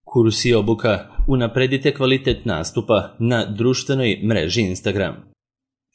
Kurs i obuka. Unapredite kvalitet nastupa na društvenoj mreži Instagram.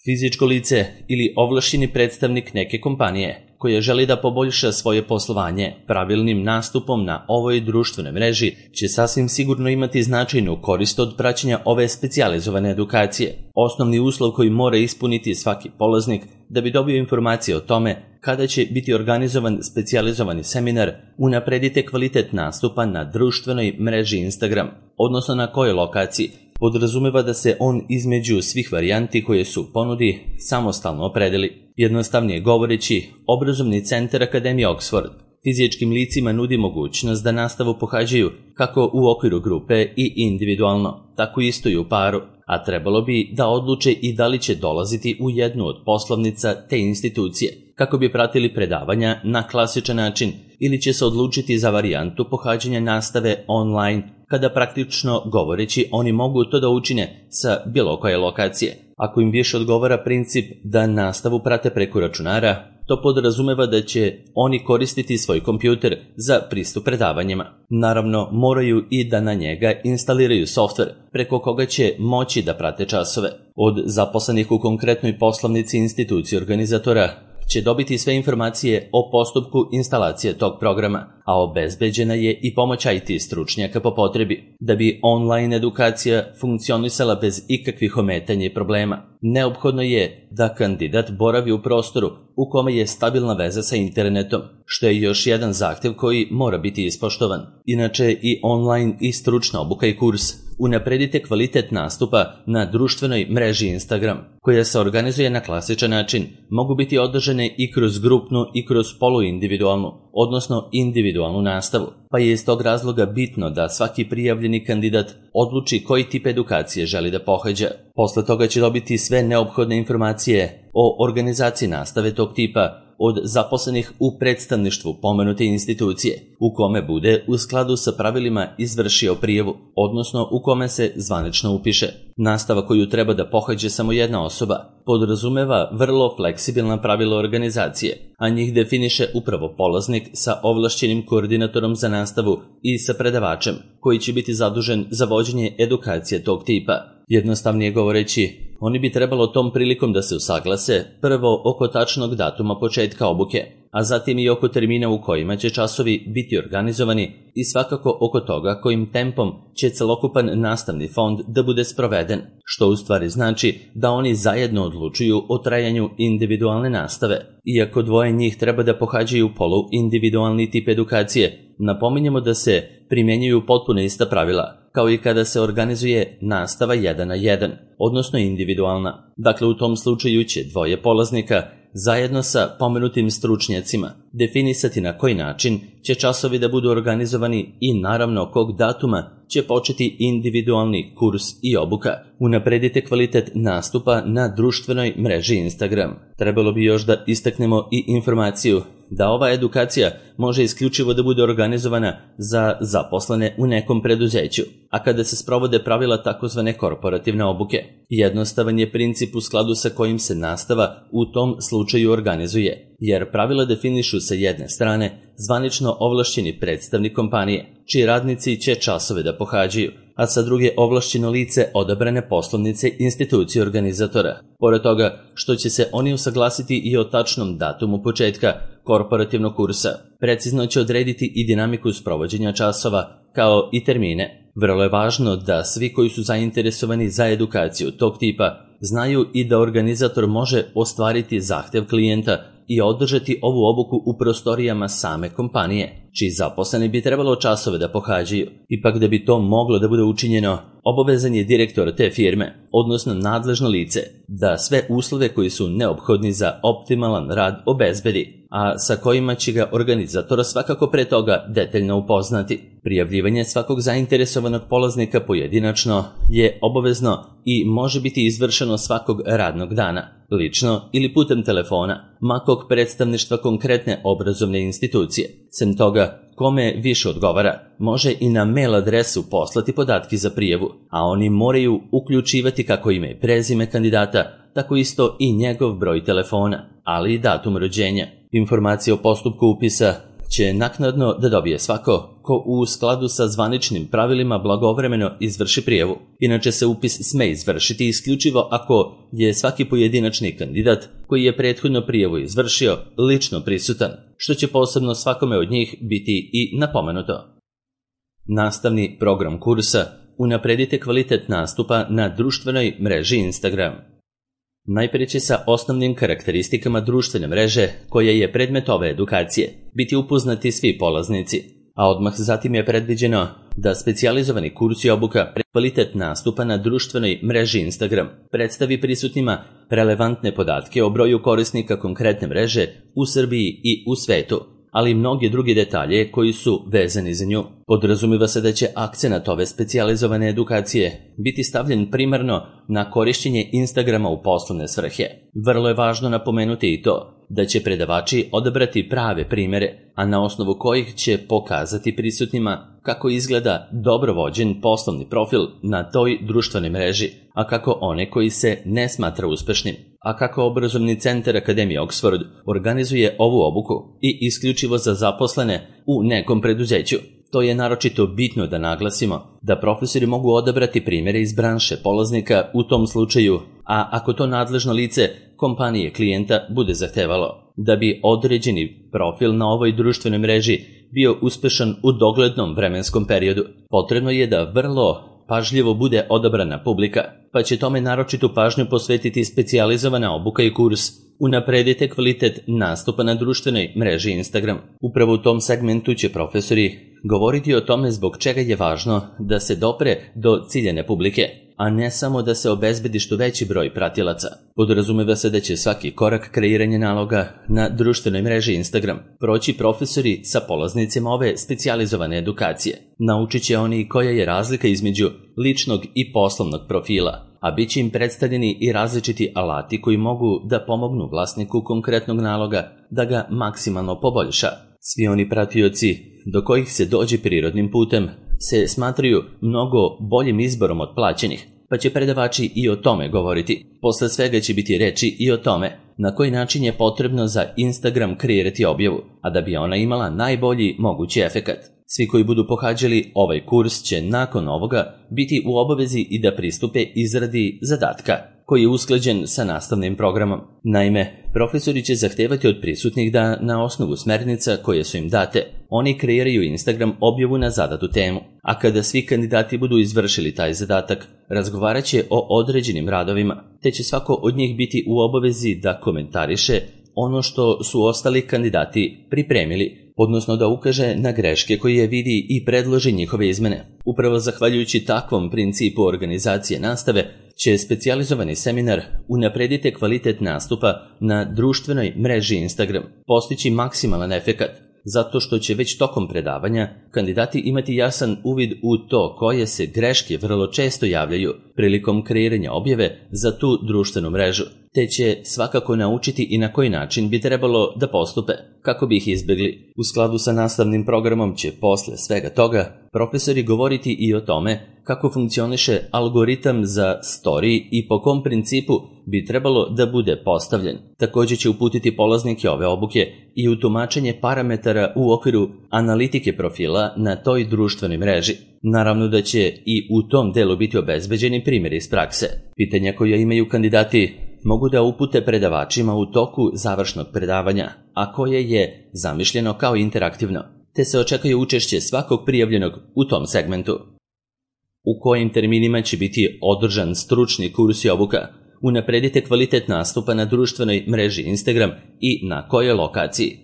Fizičko lice ili ovlašćeni predstavnik neke kompanije koja želi da poboljša svoje poslovanje pravilnim nastupom na ovoj društvenoj mreži će sasvim sigurno imati značajnu korist od praćenja ove specijalizovane edukacije. Osnovni uslov koji mora ispuniti svaki polaznik da bi dobio informacije o tome kada će biti organizovan specijalizovani seminar Unapredite kvalitet nastupa na društvenoj mreži Instagram, odnosno na kojoj lokaciji, podrazumeva da se on između svih varijanti koje su u ponudi samostalno opredeli. Jednostavnije govoreći, obrazovni centar Akademije Oxford fizičkim licima nudi mogućnost da nastavu pohađaju kako u okviru grupe i individualno, tako isto i u paru, a trebalo bi da odluče i da li će dolaziti u jednu od poslovnica te institucije, kako bi pratili predavanja na klasičan način ili će se odlučiti za varijantu pohađanja nastave online, kada praktično govoreći oni mogu to da učine sa bilo koje lokacije. Ako im više odgovara princip da nastavu prate preko računara, to podrazumeva da će oni koristiti svoj kompjuter za pristup predavanjima. Naravno, moraju i da na njega instaliraju softver preko koga će moći da prate časove. Od zaposlenih u konkretnoj poslovnici institucije organizatora će dobiti sve informacije o postupku instalacije tog programa, a obezbeđena je i pomoć IT stručnjaka po potrebi. Da bi online edukacija funkcionisala bez ikakvih ometanja i problema, neophodno je da kandidat boravi u prostoru u kome je stabilna veza sa internetom, što je još jedan zahtev koji mora biti ispoštovan. Inače, i online i stručna obuka i kurs Unapredite kvalitet nastupa na društvenoj mreži Instagram, koja se organizuje na klasičan način, mogu biti održane i kroz grupnu i kroz poluindividualnu, odnosno individualnu nastavu, pa je iz tog razloga bitno da svaki prijavljeni kandidat odluči koji tip edukacije želi da pohađa. Posle toga će dobiti sve neophodne informacije o organizaciji nastave tog tipa od zaposlenih u predstavništvu pomenute institucije, u kome bude u skladu sa pravilima izvršio prijavu, odnosno u kome se zvanično upiše. Nastava koju treba da pohađe samo jedna osoba podrazumeva vrlo fleksibilna pravila organizacije, a njih definiše upravo polaznik sa ovlašćenim koordinatorom za nastavu i sa predavačem, koji će biti zadužen za vođenje edukacije tog tipa. Jednostavnije govoreći, oni bi trebalo tom prilikom da se usaglase prvo oko tačnog datuma početka obuke, a zatim i oko termina u kojima će časovi biti organizovani i svakako oko toga kojim tempom će celokupan nastavni fond da bude sproveden, što u stvari znači da oni zajedno odlučuju o trajanju individualne nastave. Iako dvoje njih treba da pohađaju polu-individualni tip edukacije, napominjemo da se primjenjuju potpuno ista pravila, kao i kada se organizuje nastava 1 na 1, odnosno individualna. Dakle, u tom slučaju će dvoje polaznika zajedno sa pomenutim stručnjacima definisati na koji način će časovi da budu organizovani i naravno kog datuma će početi individualni kurs i obuka. Unapredite kvalitet nastupa na društvenoj mreži Instagram. Trebalo bi još da istaknemo i informaciju da ova edukacija može isključivo da bude organizovana za zaposlene u nekom preduzeću, a kada se sprovode pravila takozvane korporativne obuke. Jednostavan je princip u skladu sa kojim se nastava u tom slučaju organizuje, jer pravila definišu sa jedne strane zvanično ovlašćeni predstavnik kompanije, čiji radnici će časove da pohađaju, a sa druge ovlašćeno lice odabrane poslovnice institucije organizatora. Pored toga što će se oni usaglasiti i o tačnom datumu početka korporativnog kursa, precizno će odrediti i dinamiku sprovođenja časova, kao i termine. Vrlo je važno da svi koji su zainteresovani za edukaciju tog tipa znaju i da organizator može ostvariti zahtev klijenta i održati ovu obuku u prostorijama same kompanije, čiji zaposleni bi trebalo časove da pohađaju. Ipak da bi to moglo da bude učinjeno, obavezan je direktor te firme, odnosno nadležno lice, da sve uslove koji su neophodni za optimalan rad obezbedi, a sa kojima će ga organizator svakako pre toga detaljno upoznati. Prijavljivanje svakog zainteresovanog polaznika pojedinačno je obavezno i može biti izvršeno svakog radnog dana, lično ili putem telefona, makog predstavništva konkretne obrazovne institucije. Sem toga, kome više odgovara, može i na mail adresu poslati podatke za prijavu, a oni moraju uključivati kako ime i prezime kandidata, tako isto i njegov broj telefona, ali i datum rođenja. Informacije o postupku upisa će naknadno da dobije svako ko u skladu sa zvaničnim pravilima blagovremeno izvrši prijavu. Inače se upis sme izvršiti isključivo ako je svaki pojedinačni kandidat koji je prethodno prijavu izvršio lično prisutan, što će posebno svakome od njih biti i napomenuto. Nastavni program kursa: unapredite kvalitet nastupa na društvenoj mreži Instagram. Najprije će sa osnovnim karakteristikama društvene mreže, koja je predmet ove edukacije, biti upoznati svi polaznici, a odmah zatim je predviđeno da specijalizovani kurs i obuka kvalitet nastupa na društvenoj mreži Instagram predstavi prisutnima relevantne podatke o broju korisnika konkretne mreže u Srbiji i u svetu, ali i mnogi drugi detalje koji su vezani za nju. Podrazumiva se da će akcenat ove specijalizovane edukacije biti stavljen primarno na korišćenje Instagrama u poslovne svrhe. Vrlo je važno napomenuti i to da će predavači odabrati prave primere, a na osnovu kojih će pokazati prisutnima kako izgleda dobro vođen poslovni profil na toj društvenoj mreži, a kako one koji se ne smatra uspešnim. A kako obrazovni centar Akademije Oxford organizuje ovu obuku i isključivo za zaposlene u nekom preduzeću. To je naročito bitno da naglasimo, da profesori mogu odabrati primjere iz branše polaznika u tom slučaju, a ako to nadležno lice kompanije klijenta bude zahtevalo. Da bi određeni profil na ovoj društvenoj mreži bio uspešan u doglednom vremenskom periodu, potrebno je da vrlo pažljivo bude odabrana publika, pa će tome naročitu pažnju posvetiti specijalizovana obuka i kurs Unapredite kvalitet nastupa na društvenoj mreži Instagram. Upravo u tom segmentu će profesori govoriti o tome zbog čega je važno da se dopre do ciljane publike, a ne samo da se obezbedi što veći broj pratilaca. Podrazumeva se da će svaki korak kreiranja naloga na društvenoj mreži Instagram proći profesori sa polaznicima ove specijalizovane edukacije. Naučit će oni koja je razlika između ličnog i poslovnog profila, a bit će im predstavljeni i različiti alati koji mogu da pomognu vlasniku konkretnog naloga da ga maksimalno poboljša. Svi oni pratioci do kojih se dođe prirodnim putem se smatraju mnogo boljim izborom od plaćenih, pa će predavači i o tome govoriti. Posle svega će biti reči i o tome na koji način je potrebno za Instagram kreirati objavu, a da bi ona imala najbolji mogući efekat. Svi koji budu pohađali ovaj kurs će nakon ovoga biti u obavezi i da pristupe izradi zadatka, koji je usklađen sa nastavnim programom. Naime, profesori će zahtevati od prisutnih da na osnovu smernica koje su im date, oni kreiraju Instagram objavu na zadatu temu, a kada svi kandidati budu izvršili taj zadatak, razgovarat će o određenim radovima, te će svako od njih biti u obavezi da komentariše ono što su ostali kandidati pripremili, odnosno da ukaže na greške koje vidi i predloži njihove izmene. Upravo zahvaljujući takvom principu organizacije nastave će specijalizovani seminar Unapredite kvalitet nastupa na društvenoj mreži Instagram postići maksimalan efekat, zato što će već tokom predavanja kandidati imati jasan uvid u to koje se greške vrlo često javljaju prilikom kreiranja objave za tu društvenu mrežu, te će svakako naučiti i na koji način bi trebalo da postupe kako bi ih izbjegli. U skladu sa nastavnim programom će posle svega toga profesori govoriti i o tome kako funkcioniše algoritam za story i po kom principu bi trebalo da bude postavljen. Također će uputiti polaznike ove obuke i u tumačenje parametara u okviru analitike profila na toj društvenoj mreži. Naravno da će i u tom delu biti obezbeđeni primjeri iz prakse. Pitanja koja imaju kandidati mogu da upute predavačima u toku završnog predavanja, a koje je zamišljeno kao interaktivno, te se očekuje učešće svakog prijavljenog u tom segmentu. U kojim terminima će biti održan stručni kurs i obuka? Unapredite kvalitet nastupa na društvenoj mreži Instagram i na kojoj lokaciji?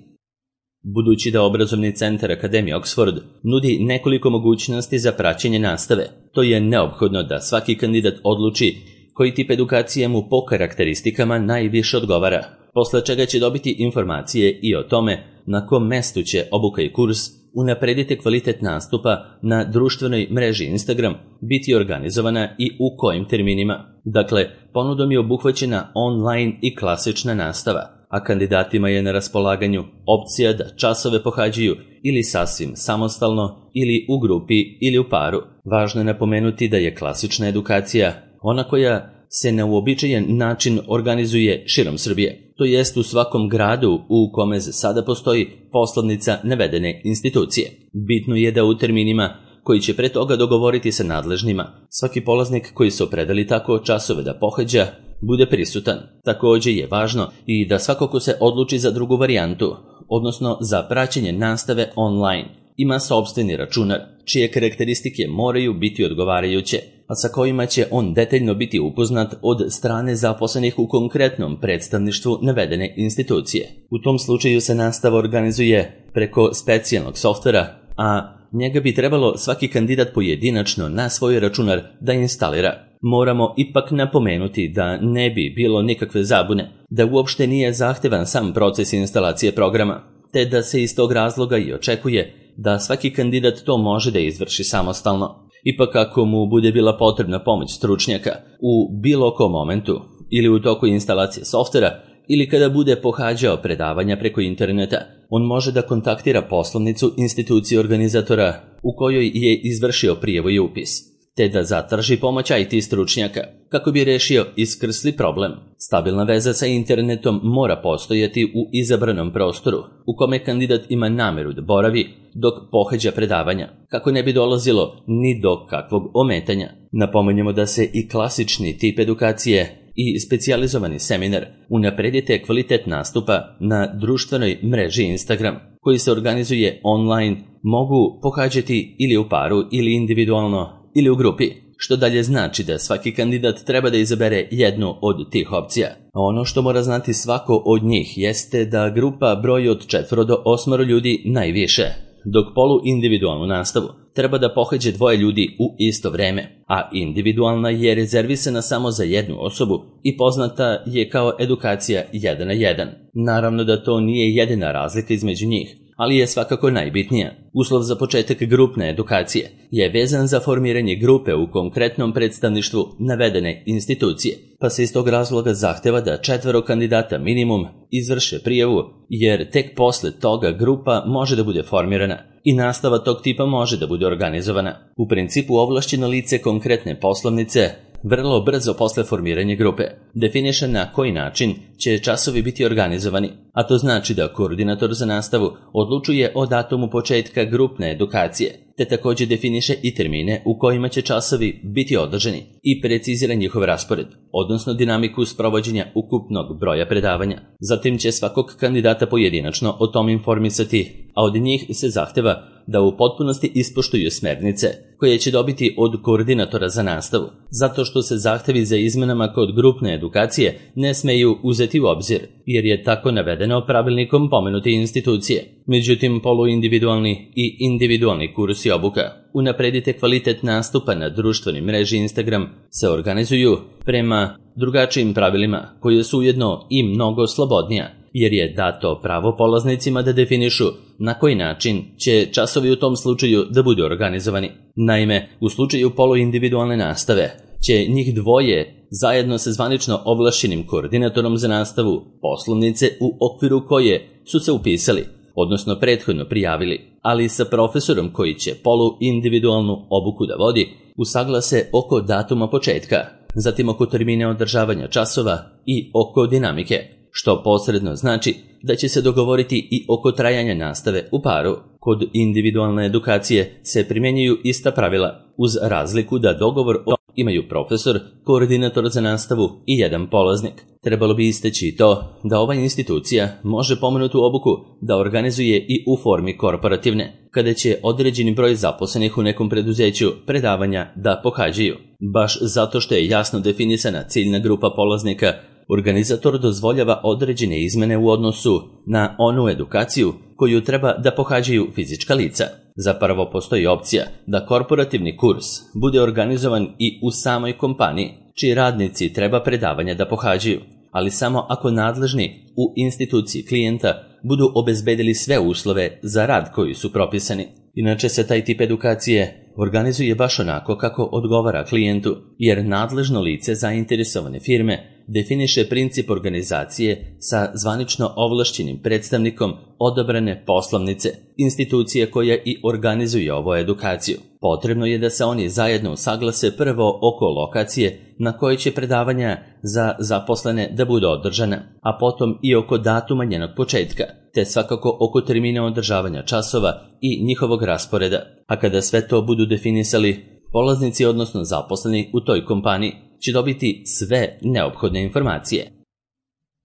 Budući da obrazovni centar Akademije Oxford nudi nekoliko mogućnosti za praćenje nastave, to je neophodno da svaki kandidat odluči koji tip edukacije mu po karakteristikama najviše odgovara, posle čega će dobiti informacije i o tome na kom mestu će obuka i kurs Unapredite kvalitet nastupa na društvenoj mreži Instagram biti organizovana i u kojim terminima. Dakle, ponudom je obuhvaćena online i klasična nastava, a kandidatima je na raspolaganju opcija da časove pohađaju ili sasvim samostalno, ili u grupi, ili u paru. Važno je napomenuti da je klasična edukacija ona koja se na uobičajen način organizuje širom Srbije, to jest u svakom gradu u kome za sada postoji poslovnica navedene institucije. Bitno je da u terminima koji će pre toga dogovoriti sa nadležnima, svaki polaznik koji se opredeli tako časove da pohađa bude prisutan. Također je važno i da svako ko se odluči za drugu varijantu, odnosno za praćenje nastave online, ima sopstveni računar, čije karakteristike moraju biti odgovarajuće, a sa kojima će on detaljno biti upoznat od strane zaposlenih u konkretnom predstavništvu navedene institucije. U tom slučaju se nastava organizuje preko specijalnog softvera, a njega bi trebalo svaki kandidat pojedinačno na svoj računar da instalira. Moramo ipak napomenuti da ne bi bilo nikakve zabune, da uopšte nije zahtevan sam proces instalacije programa, te da se iz tog razloga i očekuje da svaki kandidat to može da izvrši samostalno. Ipak ako mu bude bila potrebna pomoć stručnjaka u bilo kom momentu ili u toku instalacije softvera ili kada bude pohađao predavanja preko interneta, on može da kontaktira poslovnicu institucije organizatora u kojoj je izvršio prijavu i upis, te da zatraži pomoć IT stručnjaka kako bi rešio iskrsli problem. Stabilna veza sa internetom mora postojati u izabranom prostoru u kome kandidat ima nameru da boravi dok pohađa predavanja, kako ne bi dolazilo ni do kakvog ometanja. Napomenjemo da se i klasični tip edukacije i specijalizovani seminar unapredite kvalitet nastupa na društvenoj mreži Instagram, koji se organizuje online, mogu pohađati ili u paru ili individualno ili u grupi, što dalje znači da svaki kandidat treba da izabere jednu od tih opcija. A ono što mora znati svako od njih jeste da grupa broji od 4 do 8 ljudi najviše, dok poluindividualnu nastavu treba da pohađe 2 ljudi u isto vreme, a individualna je rezervisana samo za jednu osobu i poznata je kao edukacija 1 na 1. Naravno da to nije jedina razlika između njih, ali je svakako najbitnija. Uslov za početak grupne edukacije je vezan za formiranje grupe u konkretnom predstavništvu navedene institucije, pa se iz tog razloga zahteva da 4 kandidata minimum izvrše prijavu, jer tek posle toga grupa može da bude formirana i nastava tog tipa može da bude organizovana. U principu ovlašćeno lice konkretne poslovnice vrlo brzo posle formiranja grupe definiše na koji način će časovi biti organizovani, a to znači da koordinator za nastavu odlučuje o datumu početka grupne edukacije, te također definiše i termine u kojima će časovi biti održani i precizira njihov raspored, odnosno dinamiku sprovođenja ukupnog broja predavanja. Zatim će svakog kandidata pojedinačno o tom informisati, a od njih se zahteva da u potpunosti ispoštuju smernice koje će dobiti od koordinatora za nastavu, zato što se zahtevi za izmenama kod grupne edukacije ne smeju uzeti u obzir, jer je tako navedeno pravilnikom pomenute institucije. Međutim, poluindividualni i individualni kursi obuka unapredite kvalitet nastupa na društvenoj mreži Instagram se organizuju prema drugačijim pravilima koje su ujedno i mnogo slobodnija, jer je dato pravo polaznicima da definišu na koji način će časovi u tom slučaju da budu organizovani. Naime, u slučaju poluindividualne nastave će njih 2 zajedno sa zvanično ovlašćenim koordinatorom za nastavu poslovnice u okviru koje su se upisali, odnosno prethodno prijavili, ali sa profesorom koji će poluindividualnu obuku da vodi, usaglase oko datuma početka, zatim oko termine održavanja časova i oko dinamike, što posredno znači da će se dogovoriti i oko trajanja nastave u paru. Kod individualne edukacije se primjenjuju ista pravila, uz razliku da dogovor imaju profesor, koordinator za nastavu i jedan polaznik. Trebalo bi istaći to da ova institucija može pomenutu obuku da organizuje i u formi korporativne, kada će određeni broj zaposlenih u nekom preduzeću predavanja da pohađaju. Baš zato što je jasno definisana ciljna grupa polaznika, organizator dozvoljava određene izmene u odnosu na onu edukaciju koju treba da pohađaju fizička lica. Zapravo postoji opcija da korporativni kurs bude organizovan i u samoj kompaniji, čiji radnici treba predavanja da pohađaju, ali samo ako nadležni u instituciji klijenta budu obezbedili sve uslove za rad koji su propisani. Inače se taj tip edukacije organizuje baš onako kako odgovara klijentu, jer nadležno lice zainteresovane firme definiše princip organizacije sa zvanično ovlašćenim predstavnikom odabrane poslovnice, institucije koja i organizuje ovu edukaciju. Potrebno je da se oni zajedno usaglase prvo oko lokacije na kojoj će predavanja za zaposlene da budu održana, a potom i oko datuma njenog početka, te svakako oko termina održavanja časova i njihovog rasporeda. A kada sve to budu definisali, polaznici odnosno zaposleni u toj kompaniji će dobiti sve neophodne informacije.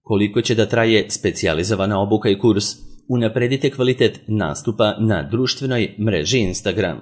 Koliko će da traje specijalizovana obuka i kurs? Unapredite kvalitet nastupa na društvenoj mreži Instagram.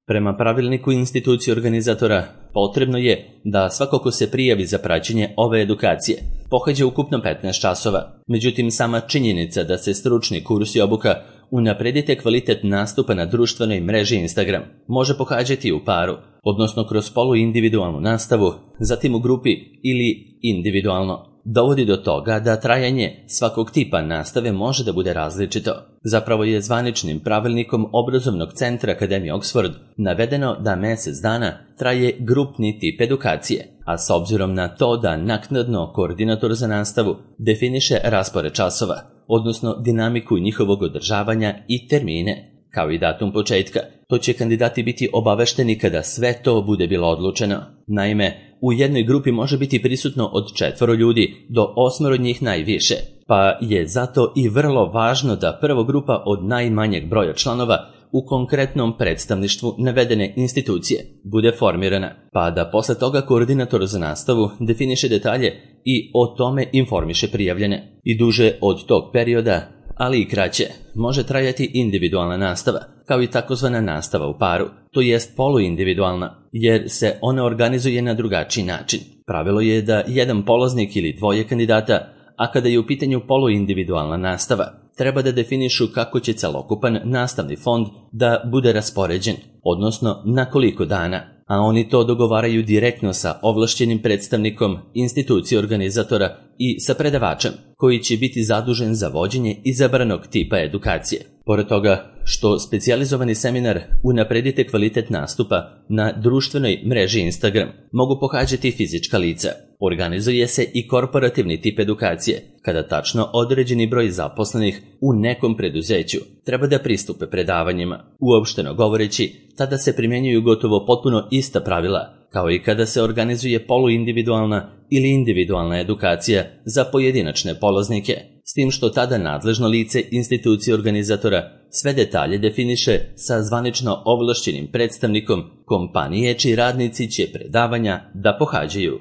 Prema pravilniku institucije organizatora, potrebno je da svako ko se prijavi za praćenje ove edukacije pohađa ukupno 15 časova. Međutim, sama činjenica da se stručni kurs i obuka Unapredite kvalitet nastupa na društvenoj mreži Instagram može pohađati u paru, odnosno kroz poluindividualnu nastavu, zatim u grupi ili individualno, dovodi do toga da trajanje svakog tipa nastave može da bude različito. Zapravo je zvaničnim pravilnikom obrazovnog centra Akademije Oxford navedeno da mjesec dana traje grupni tip edukacije, a s obzirom na to da naknadno koordinator za nastavu definiše raspored časova, odnosno dinamiku njihovog održavanja i termine, kao i datum početka, to će kandidati biti obavešteni kada sve to bude bilo odlučeno. Naime, u jednoj grupi može biti prisutno od 4 ljudi do 8 njih najviše, pa je zato i vrlo važno da prvo grupa od najmanjeg broja članova u konkretnom predstavništvu navedene institucije bude formirana, pa da posle toga koordinator za nastavu definiše detalje i o tome informiše prijavljene. I duže od tog perioda, ali i kraće, može trajati individualna nastava, kao i takozvana nastava u paru, to jest poluindividualna, jer se ona organizuje na drugačiji način. Pravilo je da jedan polaznik ili dvoje kandidata, a kada je u pitanju poluindividualna nastava, treba da definišu kako će celokupan nastavni fond da bude raspoređen, odnosno na koliko dana, a oni to dogovaraju direktno sa ovlašćenim predstavnikom institucije organizatora i sa predavačem, koji će biti zadužen za vođenje izabranog tipa edukacije. Pored toga, što specijalizovani seminar Unapredite kvalitet nastupa na društvenoj mreži Instagram mogu pohađati fizička lica, organizuje se i korporativni tip edukacije, kada tačno određeni broj zaposlenih u nekom preduzeću treba da pristupe predavanjima. Uopšteno govoreći, tada se primjenjuju gotovo potpuno ista pravila, kao i kada se organizuje poluindividualna ili individualna edukacija za pojedinačne polaznike, s tim što tada nadležno lice institucije organizatora sve detalje definiše sa zvanično ovlašćenim predstavnikom kompanije čiji radnici će predavanja da pohađaju.